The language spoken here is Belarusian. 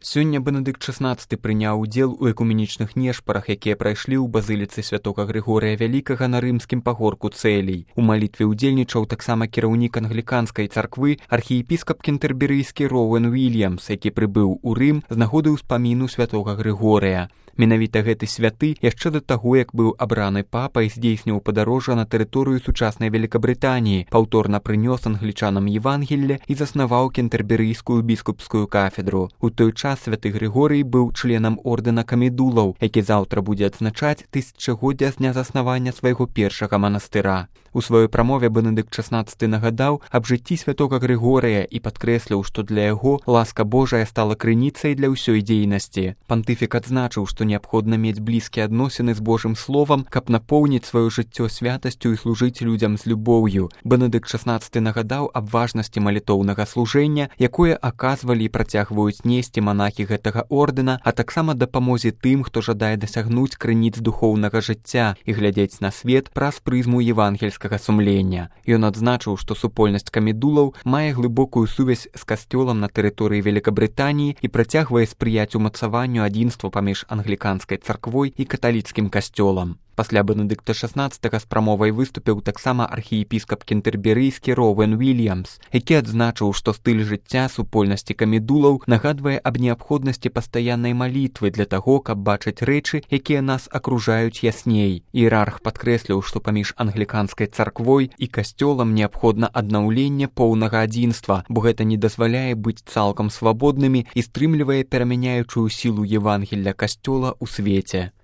Сёння Бенедыкт XVI прыняў удзел у экуменічных нешпарах, якія прайшлі ў базыліцы святога Грыгорыя Вялікага на рымскім пагорку Цэлій. У малітве ўдзельнічаў таксама кіраўнік англіканскай царквы архіепіскап кентэрберыйскі Роуэн Уільямс, які прыбыў у Рым з нагоды ўспаміну святога Грыгорыя. Менавіта гэты святы яшчэ да таго, як быў абраны папай, здзейсніў падарожжа на тэрыторыю сучаснай Великабрытаніі, паўторна прынёс англічанам Евангелле і заснаваў кентэрберыйскую біскупскую кафедру. У той час святы Грыгорый быў членам ордэна камедулаў, які заўтра будзе адзначаць 1000годдзя з дня заснавання свайго першага манастыра. У сваёй прамове Бенедыкт XVI нагадаў аб жыцці святога Грыгорыя і падкрэсліў, што для яго ласка Божая стала крыніцай для ўсёй дзейнасці. Пантыфік адзначыў, што неабходна мець блізкія адносіны з Божым словам, каб напоўніць сваё жыццё святасцю і служыць людзям з любоўю. Бенедыкт XVI нагадаў аб важнасці малітоўнага служэння, якое аказвалі і працягваюць несці манахі гэтага ордэна, а таксама дапамозе тым, хто жадае дасягнуць крыніц духоўнага жыцця і глядзець на свет праз прызму евангельскага сумлення. Ён адзначыў, што супольнасць камедулаў мае глыбокую сувязь з касцёлам на тэрыторыі Великабрытаніі і працягвае спрыяць умацаванню адзінства паміж англіканскай царквой і каталіцкім касцёлам. Пасля Бенедыкта XVI з прамовай выступіў таксама архіепіскап кентэрберыйскі Роуэн Уільямс, які адзначыў, што стыль жыцця супольнасці камедулаў нагадвае аб неабходнасці пастаяннай малітвы для таго, каб бачыць рэчы, якія нас акружаюць ясней. Іерарх падкрэсліў, што паміж англіканскай царквой і касцёлам неабходна аднаўленне поўнага адзінства, бо гэта не дазваляе быць цалкам свабоднымі і стрымлівае перамяняючую сілу Евангелля касцёла ў свеце.